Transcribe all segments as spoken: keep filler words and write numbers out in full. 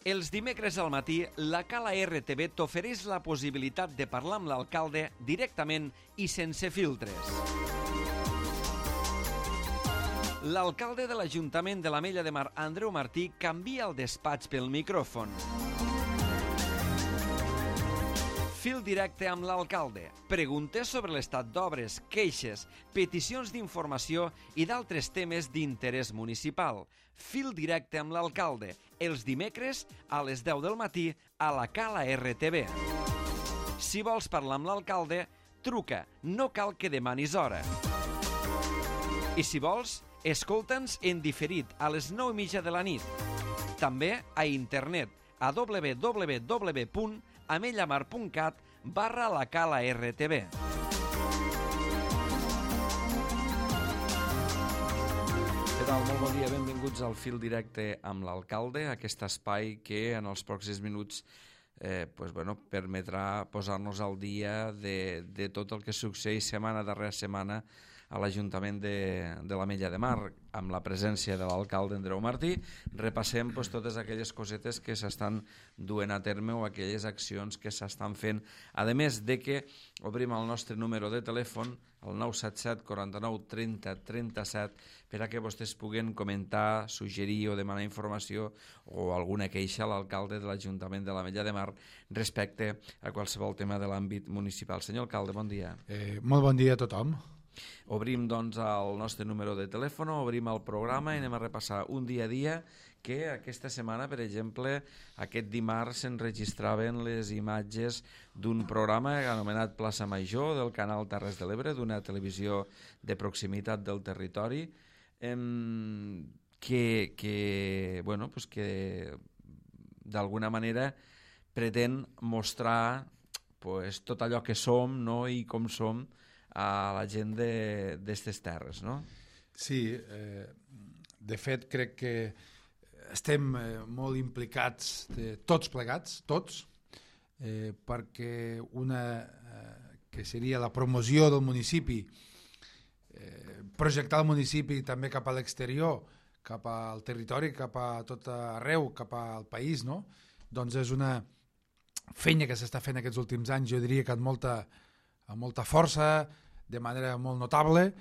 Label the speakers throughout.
Speaker 1: Els dimecres al matí, la Cala R T V t'ofereix la possibilitat de parlar amb l'alcalde directament i sense filtres. L'alcalde de l'Ajuntament de l'Ametlla de Mar, Andreu Martí, canvia el despatx pel micròfon. Fil directe amb l'alcalde. Preguntes sobre l'estat d'obres, queixes, peticions d'informació i d'altres temes d'interès municipal. Fil directe amb l'alcalde. Els dimecres a les deu del matí a la Cala R T V. Si vols parlar amb l'alcalde, truca. No cal que demanis hora. I si vols, escolta'ns en diferit a les nou i mitja de la nit. També a internet a w w w punt amellamar punt cat barra la Cala R T V. Què tal? Molt bon dia, benvinguts al Fil Directe amb l'alcalde, aquest espai que en els pròxims minuts eh, pues, bueno, permetrà posar-nos al dia de, de tot el que succeeix setmana darrere setmana a l'Ajuntament de, de l'Ametlla de Mar, amb la presència de l'alcalde Andreu Martí. Repassem pues, totes aquelles cosetes que s'estan duent a terme o aquelles accions que s'estan fent. A més de que obrim el nostre número de telèfon, el nou set set quaranta-nou trenta trenta-set, per a que vostès puguen comentar, suggerir o demanar informació o alguna queixa a l'alcalde de l'Ajuntament de l'Ametlla de Mar respecte a qualsevol tema de l'àmbit municipal. Senyor alcalde, bon dia.
Speaker 2: Eh, molt bon dia a tothom.
Speaker 1: Obrim doncs el nostre número de telèfon, obrim el programa i anem a repassar un dia a dia que aquesta setmana, per exemple, aquest dimarts s'enregistraven les imatges d'un programa anomenat Plaça Major del canal Terres de l'Ebre, d'una televisió de proximitat del territori, eh, que, que, bueno, pues que d'alguna manera pretén mostrar pues, tot allò que som, no?, i com som a la gent d'aquestes terres, no?
Speaker 2: Sí, eh, de fet crec que estem eh, molt implicats, de, tots plegats, tots, eh, perquè una eh, que seria la promoció del municipi, eh, projectar el municipi també cap a l'exterior, cap al territori, cap a tot arreu, cap al país, no? Doncs és una feina que s'està fent aquests últims anys, jo diria que amb molta, amb molta força, de manera molt notable,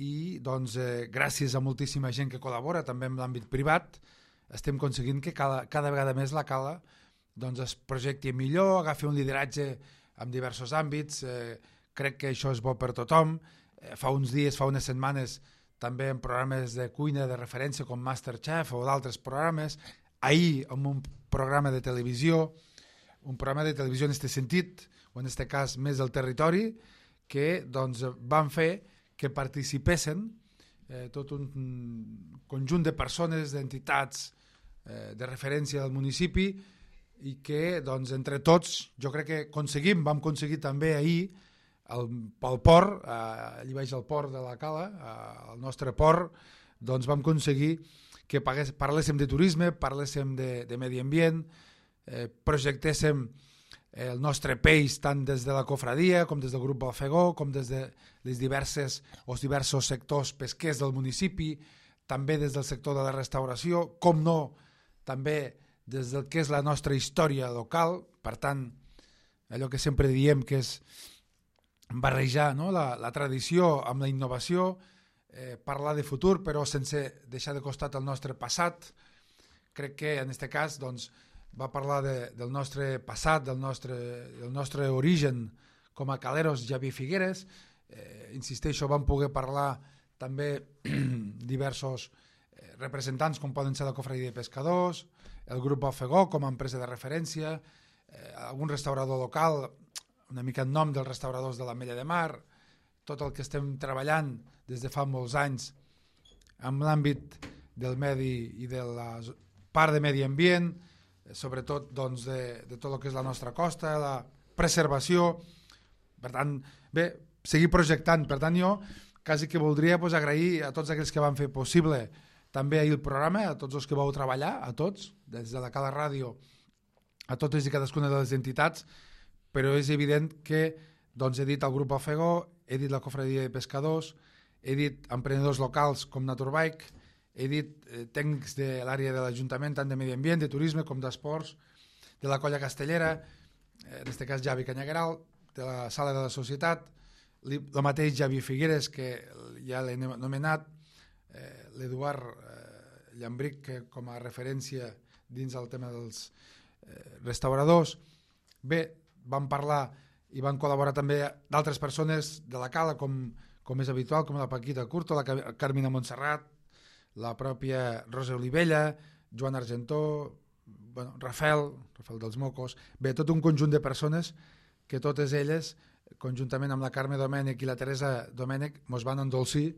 Speaker 2: i doncs, eh, gràcies a moltíssima gent que col·labora, també en l'àmbit privat, estem aconseguint que cada, cada vegada més la Cala doncs, es projecti millor, agafi un lideratge en diversos àmbits, eh, crec que això és bo per tothom. Eh, fa uns dies, fa unes setmanes, també en programes de cuina de referència com Masterchef o d'altres programes, ahir en un programa de televisió, un programa de televisió en aquest sentit, o en aquest cas més del territori, que doncs, van fer que participessin eh, tot un conjunt de persones, d'entitats eh, de referència del municipi i que doncs, entre tots jo crec que aconseguim, vam aconseguir també ahir el, pel port, eh, allà baix al port de la Cala, eh, el nostre port, doncs vam aconseguir que pagués, parléssim de turisme, parléssim de, de medi ambient, eh, projectéssim el nostre peix tant des de la cofradia com des del grup Balfegó, com des de les diverses o els diversos sectors pesquers del municipi, també des del sector de la restauració, com no, també des del que és la nostra història local. Per tant, allò que sempre diem que és barrejar, no?, la, la tradició amb la innovació, eh, parlar de futur però sense deixar de costat el nostre passat. Crec que en aquest cas doncs, va parlar de, del nostre passat, del nostre, del nostre origen com a caleros Javier Figueres. Eh, insisteixo, vam poder parlar també diversos eh, representants com poden ser la Cofradia de Pescadors, el grup Balfegó com a empresa de referència, eh, algun restaurador local, una mica en nom dels restauradors de l'Ametlla de Mar, tot el que estem treballant des de fa molts anys amb l'àmbit del medi i de la part de medi ambient, sobretot doncs, de, de tot el que és la nostra costa, la preservació. Per tant, bé, seguir projectant. Per tant, jo quasi que voldria pues, agrair a tots aquells que van fer possible també ahir el programa, a tots els que vau treballar, a tots, des de la Cala Ràdio, a totes i cadascuna de les entitats, però és evident que doncs, he dit el grup Alfegó, he dit la Cofradia de Pescadors, he dit emprenedors locals com Naturbike, he dit eh, tècnics de l'àrea de l'Ajuntament, tant de medi ambient, de turisme com d'esports, de la colla castellera, eh, en aquest cas Javi Canyagueral, de la sala de la societat, el mateix Javi Figueres, que ja l'he nomenat, eh, l'Eduard eh, Llambric, que com a referència dins el tema dels eh, restauradors. Bé, vam parlar i van col·laborar també d'altres persones de la Cala, com, com és habitual, com la Paquita Curto, la Carmina Montserrat, la pròpia Rosa Olivella, Joan Argentó, bueno, Rafael, Rafael dels Mocos, bé, tot un conjunt de persones que totes elles, conjuntament amb la Carme Domènech i la Teresa Domènech, mos van endolcir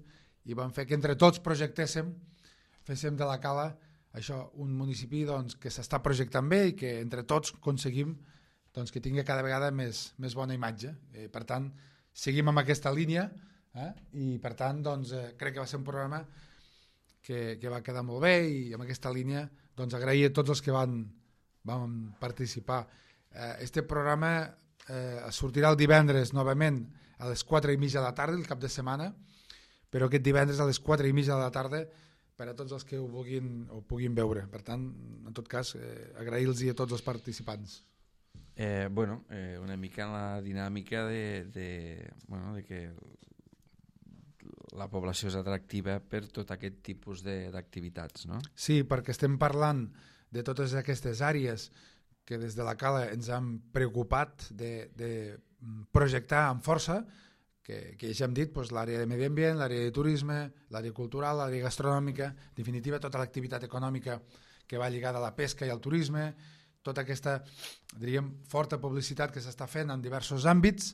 Speaker 2: i van fer que entre tots projectéssim, féssim de la Cala això, un municipi doncs, que s'està projectant bé i que entre tots aconseguim doncs, que tingui cada vegada més, més bona imatge. Eh, per tant, seguim amb aquesta línia eh? I per tant doncs, eh, crec que va ser un programa que, que va quedar molt bé i amb aquesta línia doncs, agrair a tots els que van, van participar. Eh, este programa eh, sortirà el divendres novament a les quatre i mitja de la tarda, el cap de setmana, però aquest divendres a les quatre i mitja de la tarda per a tots els que ho vulguin, ho puguin veure. Per tant, en tot cas, eh, agrair-los a tots els participants.
Speaker 1: Eh, bueno, eh, una mica en la dinàmica de, de, bueno, de que la població és atractiva per tot aquest tipus d'activitats, no?
Speaker 2: Sí, perquè estem parlant de totes aquestes àrees que des de la Cala ens han preocupat de, de projectar amb força, que, que ja hem dit, doncs, l'àrea de medi ambient, l'àrea de turisme, l'àrea cultural, l'àrea gastronòmica, en definitiva tota l'activitat econòmica que va lligada a la pesca i al turisme, tota aquesta, diríem, forta publicitat que s'està fent en diversos àmbits,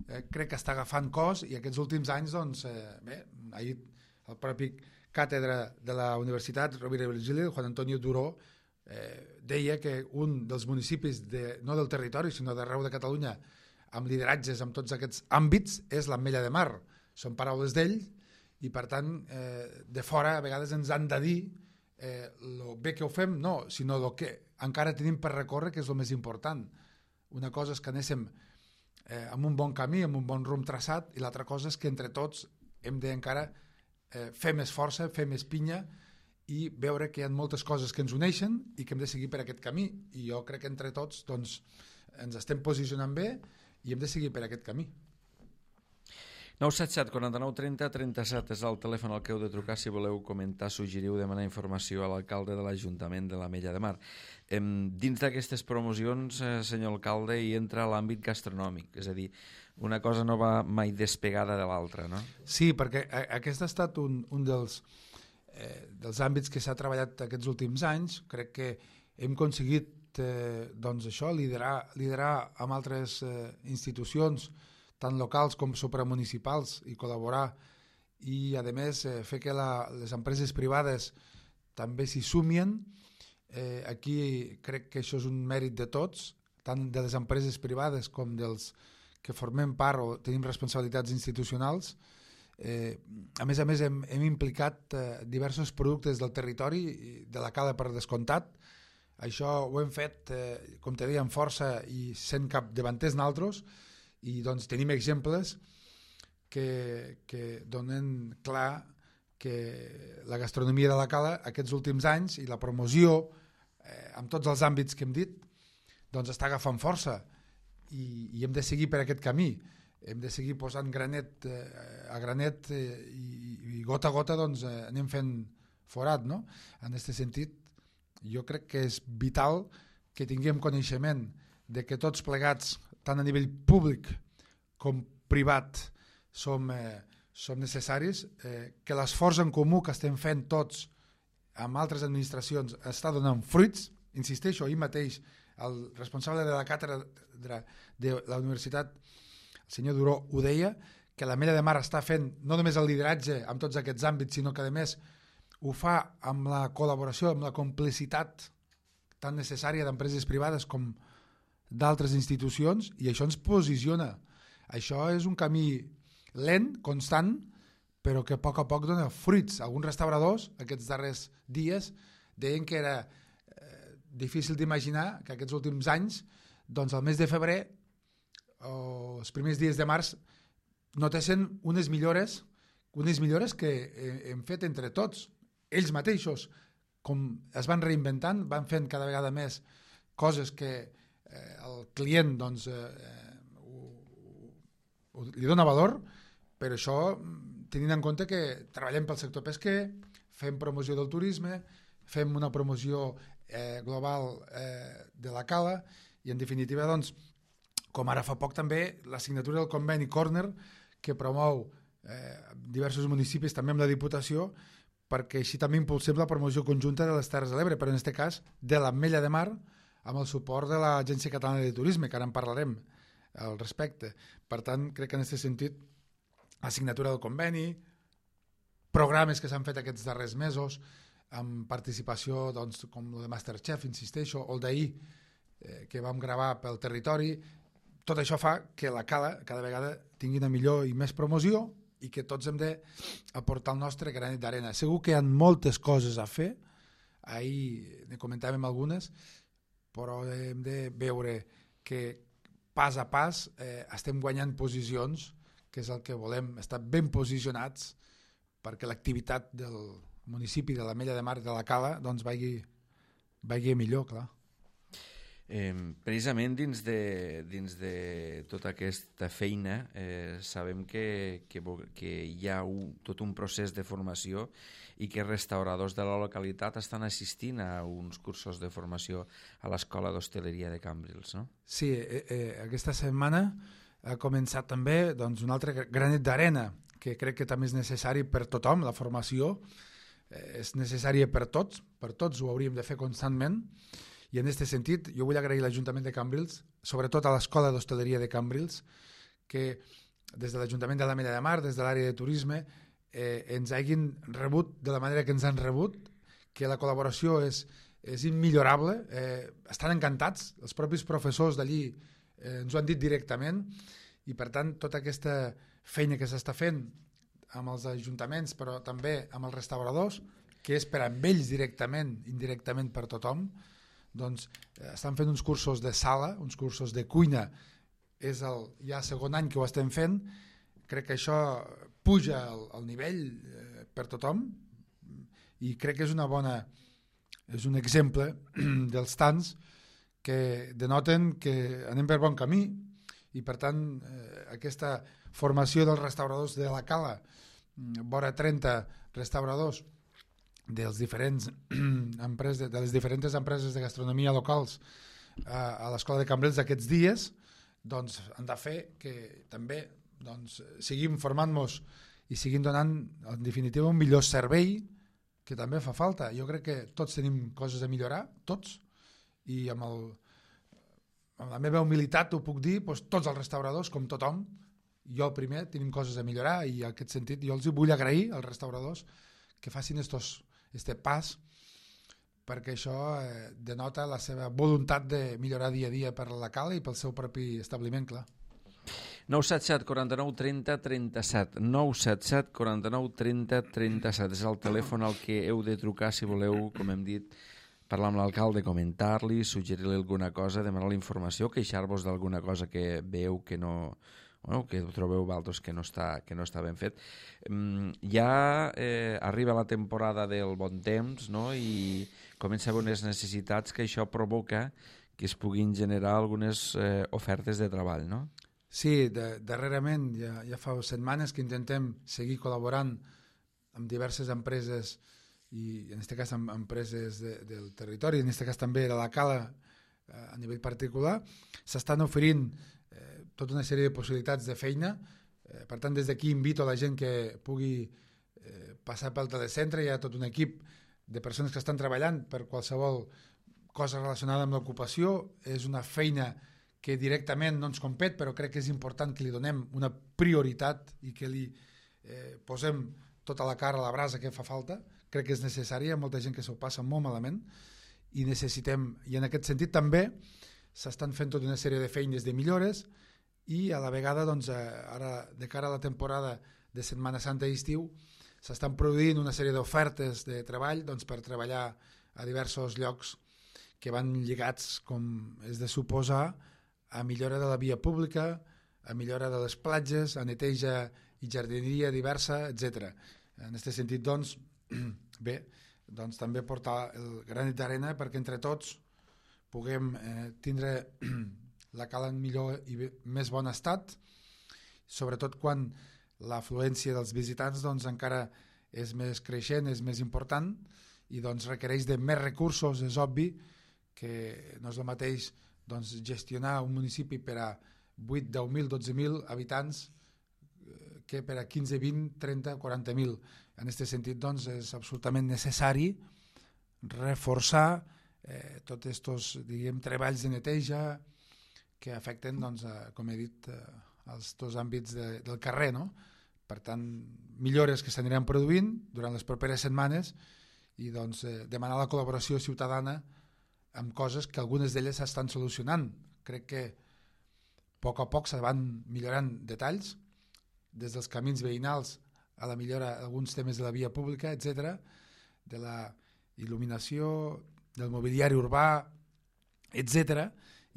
Speaker 2: eh, crec que està agafant cos i aquests últims anys, doncs, eh, bé, ahir el propi càtedre de la Universitat Rovira i Virgili, Juan Antonio Duró, eh, deia que un dels municipis, de, no del territori, sinó d'arreu de Catalunya, amb lideratges en tots aquests àmbits, és l'Ametlla de Mar. Són paraules d'ell i, per tant, eh, de fora a vegades ens han de dir eh, lo bé que ho fem, no, sinó el que encara tenim per recórrer, que és el més important. Una cosa és que anéssim eh, amb un bon camí, amb un bon rumb traçat, i l'altra cosa és que entre tots hem d'encara eh, fer més força, fer més pinya i veure que hi ha moltes coses que ens uneixen i que hem de seguir per aquest camí. I jo crec que entre tots doncs, ens estem posicionant bé i hem de seguir per aquest camí.
Speaker 1: nou set set quaranta-nou trenta trenta-set és el telèfon al que heu de trucar si voleu comentar, suggerir o demanar informació a l'alcalde de l'Ajuntament de l'Ametlla de Mar. Eh, dins d'aquestes promocions, eh, senyor alcalde, hi entra l'àmbit gastronòmic, és a dir, una cosa no va mai despegada de l'altra, no?
Speaker 2: Sí, perquè aquest ha estat un, un dels, eh, dels àmbits que s'ha treballat aquests últims anys. Crec que hem aconseguit eh, doncs això, liderar, liderar amb altres eh, institucions, tant locals com supramunicipals, i col·laborar i, a més, eh, fer que la, les empreses privades també s'hi sumien. Eh, aquí crec que això és un mèrit de tots, tant de les empreses privades com dels que formem part o tenim responsabilitats institucionals. Eh, a més a més, hem, hem implicat eh, diversos productes del territori, de la Cala per descomptat. Això ho hem fet, eh, com te deia, amb força i sent capdavanters naltros, i doncs tenim exemples que, que donen clar que la gastronomia de la Cala aquests últims anys i la promoció eh, amb tots els àmbits que hem dit doncs està agafant força i, i hem de seguir per aquest camí, hem de seguir posant granet eh, a granet eh, i, i gota a gota doncs, eh, anem fent forat, no? En aquest sentit jo crec que és vital que tinguem coneixement de que tots plegats, tant a nivell públic com privat, som, eh, som necessaris, eh, que l'esforç en comú que estem fent tots amb altres administracions està donant fruits. Insisteixo, ahir mateix el responsable de la càtedra de la universitat, el senyor Duró, ho deia, que l'Ametlla de Mar està fent no només el lideratge en tots aquests àmbits, sinó que a més ho fa amb la col·laboració, amb la complicitat tan necessària d'empreses privades com d'altres institucions, i això ens posiciona. Això és un camí lent, constant, però que a poc a poc dona fruits. Alguns restauradors aquests darrers dies deien que era eh, difícil d'imaginar que aquests últims anys, doncs al mes de febrer o els primers dies de març notessin unes millores, unes millores que hem fet entre tots. ells mateixos, com es van reinventant, van fent cada vegada més coses que eh, el client doncs, eh, ho, ho, li dona valor, però això tenint en compte que treballem pel sector pesquer, fem promoció del turisme, fem una promoció eh, global eh, de la cala i en definitiva doncs, com ara fa poc també la signatura del conveni Corner que promou eh, diversos municipis també amb la Diputació perquè així també impulsem la promoció conjunta de les Terres de l'Ebre, però en aquest cas de l'Ametlla de Mar amb el suport de l'Agència Catalana de Turisme, que ara en parlarem al respecte. Per tant, crec que en aquest sentit la signatura del conveni, programes que s'han fet aquests darrers mesos amb participació doncs, com el de Masterchef, insisteixo, o el d'ahir eh, que vam gravar pel territori, tot això fa que la cala cada vegada tingui una millor i més promoció i que tots hem d'aportar el nostre granet d'arena. Segur que hi ha moltes coses a fer, ahir ne comentàvem algunes, però hem de veure que pas a pas eh, estem guanyant posicions, que és el que volem, estar ben posicionats perquè l'activitat del municipi de l'Ametlla de Mar de la Cala doncs vagi, vagi millor, clar.
Speaker 1: Eh, precisament dins de, dins de tota aquesta feina eh, sabem que, que, que hi ha un, tot un procés de formació i que restauradors de la localitat estan assistint a uns cursos de formació a l'Escola d'Hostaleria de Cambrils, no?
Speaker 2: Sí, eh, eh, aquesta setmana ha començat també doncs, un altre granet d'arena que crec que també és necessari per tothom, la formació eh, és necessària per tots, per tots ho hauríem de fer constantment. I en aquest sentit jo vull agrair a l'Ajuntament de Cambrils, sobretot a l'Escola d'Hostaleria de Cambrils, que des de l'Ajuntament de l'Ametlla de Mar, des de l'àrea de turisme, eh, ens hagin rebut de la manera que ens han rebut, que la col·laboració és, és immillorable, eh, estan encantats, els propis professors d'allí eh, ens ho han dit directament, i per tant tota aquesta feina que s'està fent amb els ajuntaments, però també amb els restauradors, que és per amb ells directament, indirectament per tothom, doncs eh, estan fent uns cursos de sala, uns cursos de cuina, és el ja segon any que ho estem fent, crec que això puja el, el nivell eh, per tothom i crec que és una bona, és un exemple dels tants que denoten que anem per bon camí i per tant eh, aquesta formació dels restauradors de la Cala, vora trenta restauradors dels diferents empreses, de les diferents empreses de gastronomia locals a, a l'Escola de Cambrils d'aquests dies, doncs han de fer que també doncs, seguim formant-nos i seguim donant en definitiva un millor servei que també fa falta. Jo crec que tots tenim coses a millorar, tots, i amb, el, amb la meva humilitat ho puc dir, doncs, tots els restauradors, com tothom, jo el primer, tenim coses a millorar i en aquest sentit jo els vull agrair als restauradors que facin estos este pas perquè això eh, denota la seva voluntat de millorar dia a dia per la Cala i pel seu propi establiment, clar.
Speaker 1: nou set set quaranta-nou trenta trenta-set nou set set quaranta-nou trenta trenta-set és el telèfon al que heu de trucar si voleu, com hem dit, parlar amb l'alcalde, comentar-li, suggerir-li alguna cosa, demanar la informació, queixar-vos d'alguna cosa que veu que no... Bueno, que trobeu vosaltres que no està, que no està ben fet. Mm, ja eh, arriba la temporada del bon temps, no? I comença a haver unes necessitats que això provoca que es puguin generar algunes eh, ofertes de treball, no?
Speaker 2: Sí, de, darrerament ja, ja fa setmanes que intentem seguir col·laborant amb diverses empreses i en aquest cas amb empreses de, del territori, en aquest cas també de la Cala eh, a nivell particular, s'estan oferint tota una sèrie de possibilitats de feina. Eh, per tant, des d'aquí invito a la gent que pugui eh, passar pel telecentre. Hi ha tot un equip de persones que estan treballant per qualsevol cosa relacionada amb l'ocupació. És una feina que directament no ens compet, però crec que és important que li donem una prioritat i que li eh, posem tota la cara a la brasa que fa falta. Crec que és necessari, hi ha molta gent que s'ho passa molt malament i necessitem, i en aquest sentit també s'estan fent tota una sèrie de feines de millores i a la vegada, doncs, ara, de cara a la temporada de Setmana Santa i estiu, s'estan produint una sèrie d'ofertes de treball doncs, per treballar a diversos llocs que van lligats, com és de suposar, a millora de la via pública, a millora de les platges, a neteja i jardineria diversa, etcètera. En aquest sentit, doncs, bé, doncs també portar el granet d'arena perquè entre tots puguem eh, tindre la cala en millor i bé, més bon estat, sobretot quan l'afluència dels visitants doncs, encara és més creixent, és més important i doncs, requereix de més recursos. És obvi que no és el mateix doncs, gestionar un municipi per a vuit, deu mil, dotze mil habitants que per a quinze, vint, trenta, quaranta mil. En aquest sentit doncs, és absolutament necessari reforçar eh, tots aquests diguem, treballs de neteja que afecten, doncs, a, com he dit, eh, els dos àmbits de, del carrer. No? Per tant, millores que s'aniran produint durant les properes setmanes i doncs, eh, demanar la col·laboració ciutadana amb coses que algunes d'elles s'estan solucionant. Crec que a poc a poc se van millorant detalls, des dels camins veïnals a la millora d'alguns temes de la via pública, etcètera, de la il·luminació, del mobiliari urbà, etcètera.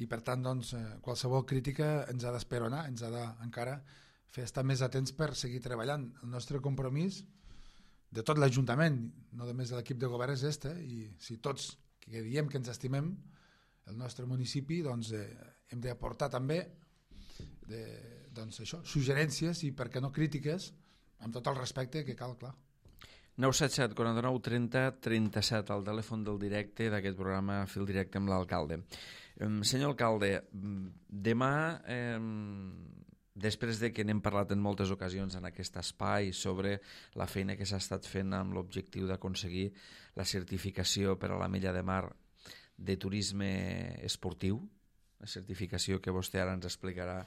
Speaker 2: I per tant, doncs, qualsevol crítica ens ha d'esperonar, ens ha d'encara fer estar més atents per seguir treballant. El nostre compromís de tot l'Ajuntament, no només de l'equip de govern, és este, i si tots que diem que ens estimem el nostre municipi, doncs eh, hem d'aportar també de, doncs això, suggerències i, per què no, crítiques, amb tot el respecte que cal, clar.
Speaker 1: nou set set, quaranta-nou, trenta, trenta-set, el telèfon del directe d'aquest programa Fil Directe amb l'alcalde. Eh, senyor alcalde, demà, eh, després de que n'hem parlat en moltes ocasions en aquest espai sobre la feina que s'ha estat fent amb l'objectiu d'aconseguir la certificació per a la Mella de Mar de turisme esportiu, la certificació que vostè ara ens explicarà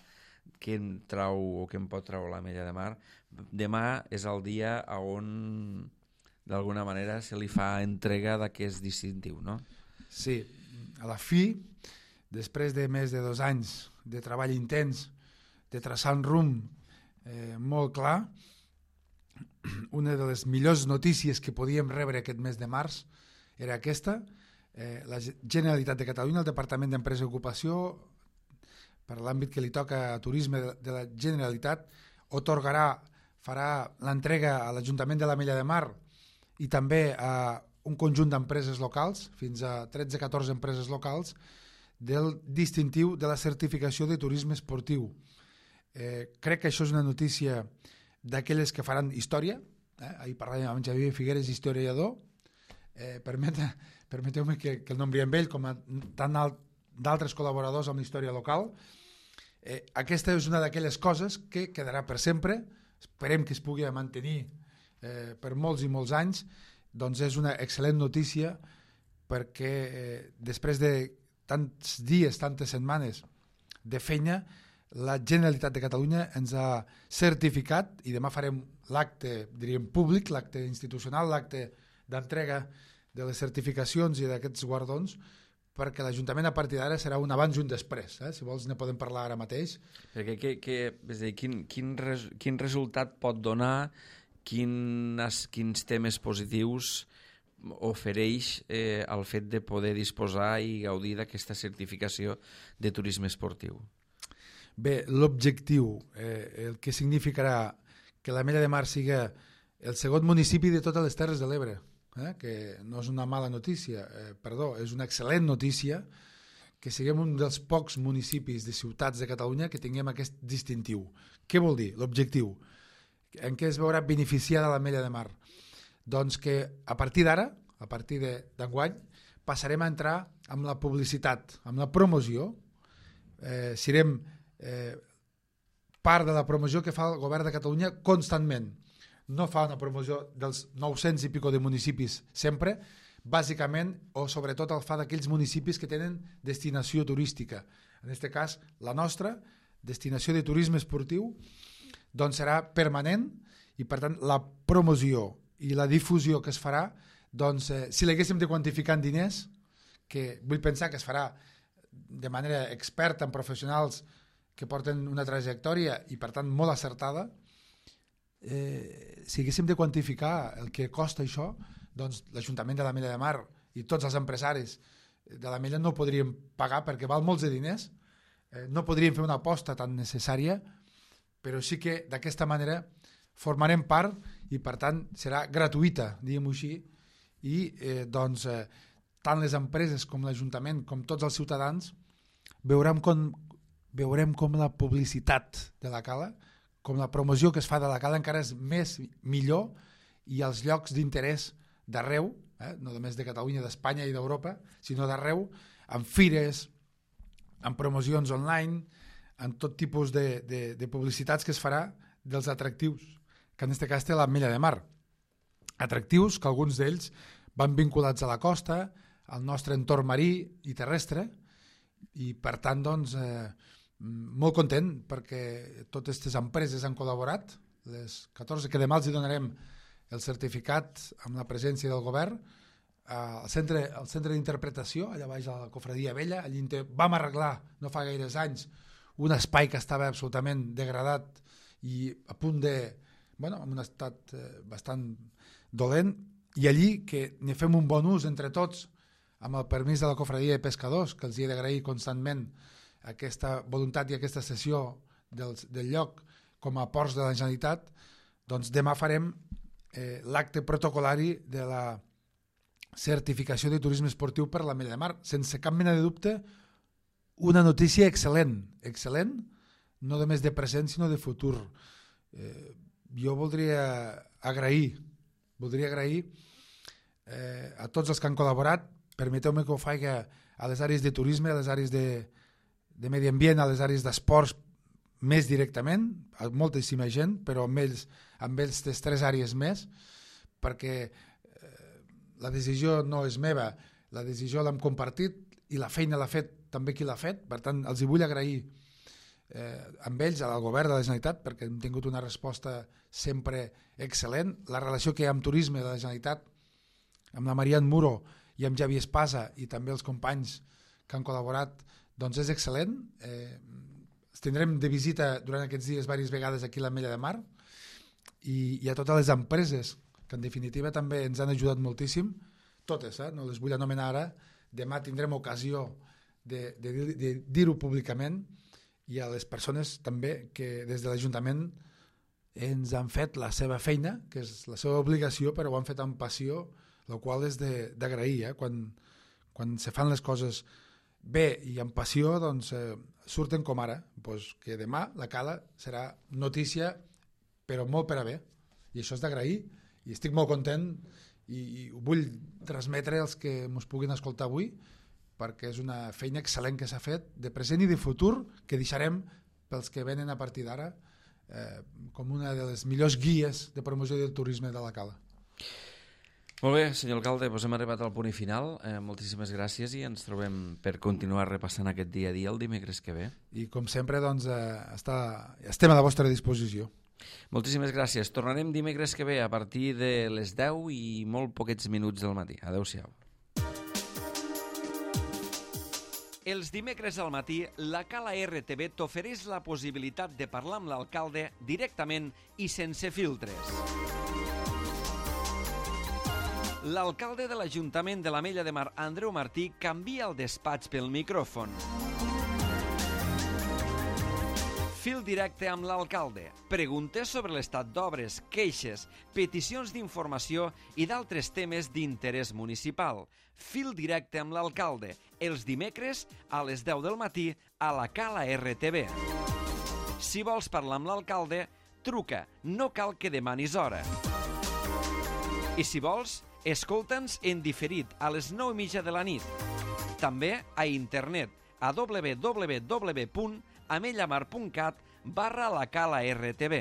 Speaker 1: què en trau o què en pot treure la Mella de Mar, demà és el dia on d'alguna manera se li fa entrega d'aquest distintiu, no?
Speaker 2: Sí, a la fi, després de més de dos anys de treball intens, de traçar un rumb eh, molt clar, una de les millors notícies que podíem rebre aquest mes de març era aquesta. Eh, la Generalitat de Catalunya, el Departament d'Empresa i Ocupació, per l'àmbit que li toca a turisme de la Generalitat, otorgarà, farà l'entrega a l'Ajuntament de la Mella de Mar i també a un conjunt d'empreses locals, fins a tretze o catorze empreses locals, del distintiu de la certificació de turisme esportiu. Eh, crec que això és una notícia d'aquelles que faran història. Eh? Ahir parlàvem amb Xavier Figueres, historiador. Eh, permet, permeteu-me que, que el nombri amb ell com a tant d'altres col·laboradors amb la història local. Eh, aquesta és una d'aquelles coses que quedarà per sempre. Esperem que es pugui mantenir eh, per molts i molts anys. Doncs és una excel·lent notícia perquè eh, després de tants dies, tantes setmanes de feina, la Generalitat de Catalunya ens ha certificat, i demà farem l'acte, diríem, públic, l'acte institucional, l'acte d'entrega de les certificacions i d'aquests guardons, perquè l'Ajuntament a partir d'ara serà un abans i un després. Eh? Si vols ne podem parlar ara mateix.
Speaker 1: Perquè que, que, és a dir, quin, quin, res, quin resultat pot donar, quins, quins temes positius ofereix eh, el fet de poder disposar i gaudir d'aquesta certificació de turisme esportiu?
Speaker 2: Bé, l'objectiu, eh, el que significarà que la Mella de Mar siga el segon municipi de totes les Terres de l'Ebre, eh, que no és una mala notícia, eh, perdó, és una excel·lent notícia que siguem un dels pocs municipis de ciutats de Catalunya que tinguem aquest distintiu. Què vol dir? L'objectiu. En què es veurà beneficiada la Mella de Mar? Doncs que a partir d'ara, a partir d'enguany, passarem a entrar amb la publicitat, amb la promoció, eh, serem eh, part de la promoció que fa el govern de Catalunya constantment. No fa una promoció dels nou-cents i pico de municipis sempre, bàsicament o sobretot el fa d'aquells municipis que tenen destinació turística. En aquest cas, la nostra, destinació de turisme esportiu, doncs serà permanent i per tant la promoció i la difusió que es farà, doncs eh, si l'haguéssim de quantificar en diners, que vull pensar que es farà de manera experta amb professionals que porten una trajectòria i per tant molt acertada, eh, si haguéssim de quantificar el que costa això, doncs l'Ajuntament de la Mella de Mar i tots els empresaris de la Mella no podríem pagar perquè val molts de diners, eh, no podríem fer una aposta tan necessària, però sí que d'aquesta manera formarem part i per tant serà gratuïta, diguem-ho així, i eh, doncs, eh, tant les empreses com l'Ajuntament com tots els ciutadans veurem com, veurem com la publicitat de la cala, com la promoció que es fa de la cala encara és més millor, i els llocs d'interès d'arreu, eh, no només de Catalunya, d'Espanya i d'Europa, sinó d'arreu, amb fires, amb promocions online, amb tot tipus de, de, de publicitats que es farà dels atractius, que en aquest cas té l'Ametlla de Mar. Atractius que alguns d'ells van vinculats a la costa, al nostre entorn marí i terrestre, i per tant, doncs, eh, molt content perquè totes aquestes empreses han col·laborat, les catorze, que demà els donarem el certificat amb la presència del govern, al centre, al centre d'interpretació, allà baix a la Cofradia Vella, allí vam arreglar, no fa gaires anys, un espai que estava absolutament degradat i a punt de, bueno, en un estat eh, bastant dolent, i allí que ne fem un bon ús entre tots, amb el permís de la Cofradia de Pescadors, que els he d'agrair constantment aquesta voluntat i aquesta cessió del, del lloc com a ports de la Generalitat, doncs demà farem eh, l'acte protocolari de la certificació de turisme esportiu per l'Ametlla de Mar. Sense cap mena de dubte, una notícia excel·lent, excel·lent, no només de present sinó de futur. Eh, jo voldria agrair, voldria agrair eh, a tots els que han col·laborat. Permeteu-me que ho faci a les àrees de turisme, a les àrees de, de medi ambient, a les àrees d'esports més directament, a moltíssima gent, però amb ells, amb ells les tres àrees més, perquè la decisió no és meva, la decisió l'hem compartit i la feina l'ha fet també qui l'ha fet, per tant els hi vull agrair eh, amb ells, al govern de la Generalitat, perquè hem tingut una resposta sempre excel·lent. La relació que hi ha amb turisme de la Generalitat, amb la Marian Muro i amb Javi Espasa i també els companys que han col·laborat, doncs és excel·lent. Eh, els tindrem de visita durant aquests dies diverses vegades aquí a l'Ametlla de Mar, i, i a totes les empreses que en definitiva també ens han ajudat moltíssim, totes, eh? No les vull anomenar ara, demà tindrem ocasió de, de, de dir-ho públicament, i a les persones també que des de l'Ajuntament ens han fet la seva feina, que és la seva obligació, però ho han fet amb passió, la qual és d'agrair. Eh? Quan, quan se fan les coses bé i amb passió, doncs eh, surten com ara, doncs que demà la cala serà notícia, però molt per a bé, i això és d'agrair. I estic molt content i, i ho vull transmetre als que ens puguin escoltar avui, perquè és una feina excel·lent que s'ha fet de present i de futur, que deixarem pels que venen a partir d'ara eh, com una de les millors guies de promoció del turisme de la cala.
Speaker 1: Molt bé, senyor alcalde, doncs hem arribat al punt i final. Eh, moltíssimes gràcies i ens trobem per continuar repassant aquest dia a dia el dimecres que ve. I com sempre, doncs, eh, està, estem a la vostra disposició. Moltíssimes gràcies. Tornarem dimecres que ve a partir de les deu i molt poquets minuts del matí. Adéu-siau. Els dimecres al matí, la Cala R T V t'ofereix la possibilitat de parlar amb l'alcalde directament i sense filtres. L'alcalde de l'Ajuntament de l'Ametlla de Mar, Andreu Martí, canvia el despatx pel micròfon. Fil directe amb l'alcalde. Preguntes sobre l'estat d'obres, queixes, peticions d'informació i d'altres temes d'interès municipal. Fil directe amb l'alcalde. Els dimecres a les deu del matí a la Cala R T V. Si vols parlar amb l'alcalde, truca. No cal que demanis hora. I si vols, escolta'ns en diferit a les nou i mitja de la nit. També a internet a w w w punt amellamar punt cat barra la Cala R T V.